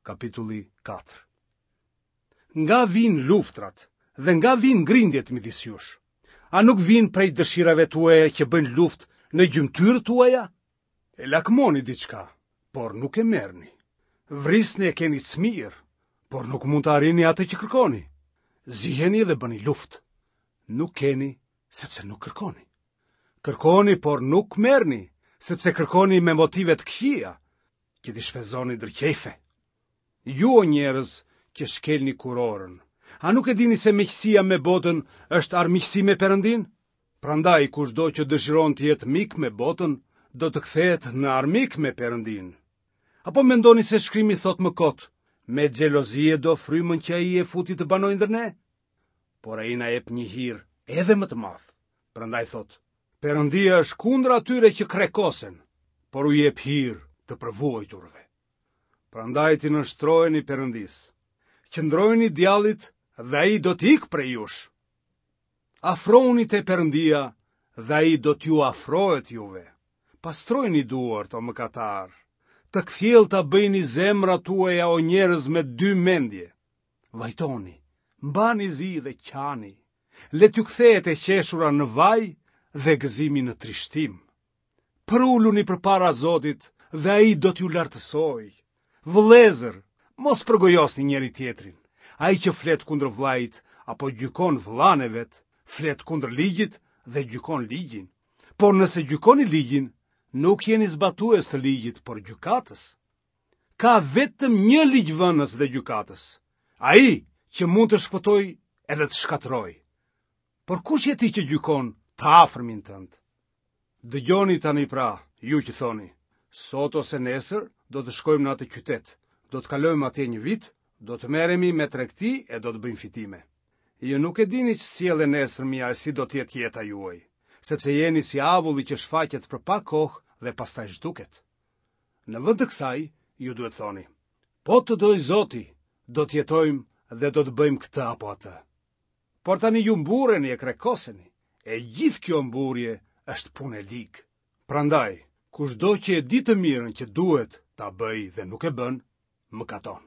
Kapitulli 4. Nga vijnë luftrat dhe nga vijnë grindjet midis jush? A nuk vijnë prej dëshirave tuaja që bëjnë luftë në gjymtyrët tuaja? E lakmoni diçka, por nuk e merrni. Vrisni e keni cmirë, por nuk mund të arrini atë që kërkoni. Ziheni dhe bëni luftë. Nuk keni, sepse nuk kërkoni. Kërkoni, por nuk merrni, sepse kërkoni me motive të këqija, që t'i shpenzoni ndër qejfe. Ju o njerëz që shkelni kurorën, a nuk e dini se miqësia me botën është armiqësi me Perëndinë? Prandaj kushdo që dëshiron të jetë mik me botën, do të kthehet në armik me Perëndinë. Apo mendoni se shkrimi thotë më kot, me xhelozi e do frymën që ai e futi të banojë ndër ne? Por ai na jep një hir edhe më të madh. Prandaj thotë, Perëndia është kundër atyre që krekosen, por u jep hir të përvuajturve. Prandaj t'i nënshtroheni Perëndisë. Qëndrojini djallit dhe ai do të ikë prej jush. Afrohuni te Perëndia dhe ai do t'ju afrohet juve. Pastrojini duart o mëkatarë. Të kthjellëta bëjini zemrat tuaja o njerëz me dy mendje. Vajtoni, mbani zi dhe qani. Le t'ju kthehet e qeshura në vaj dhe gëzimi në trishtim. Përuluni përpara Zotit dhe ai do t'ju lartësojë. Vëllezër, mos përgojosni njëri-tjetrin. Ai që flet kundër vëllait apo gjykon vëllanë e vet, flet kundër ligjit dhe gjykon ligjin. Por nëse gjykoni ligjin, nuk jeni zbatues të ligjit, por gjykatës. Ka vetëm një ligjvënës dhe gjykatës, ai që mund të shpëtojë edhe të shkatërrojë. Por kush je ti që gjykon të afërmin tënd? Dëgjoni tani pra, ju që thoni, sot ose nesër do të shkojmë në atë qytet, do të kalojmë atje një vit, do të merremi me tregti e do të bëjmë fitime. Ju nuk e dini ç'sjell e nesërmja e si do të jetë jeta juaj, sepse jeni si avulli që shfaqet për pak kohë dhe pastaj zhduket. Në vend të kësaj, ju duhet thoni, po të dojë Zoti, do të jetojmë dhe do të bëjmë këtë apo atë. Por tani ju mburreni e krekoseni, e gjithë kjo mburrje është punë e ligë. Prandaj, kushdo që e di të mirën që duhet ta bëjë dhe nuk e bën, mëkaton.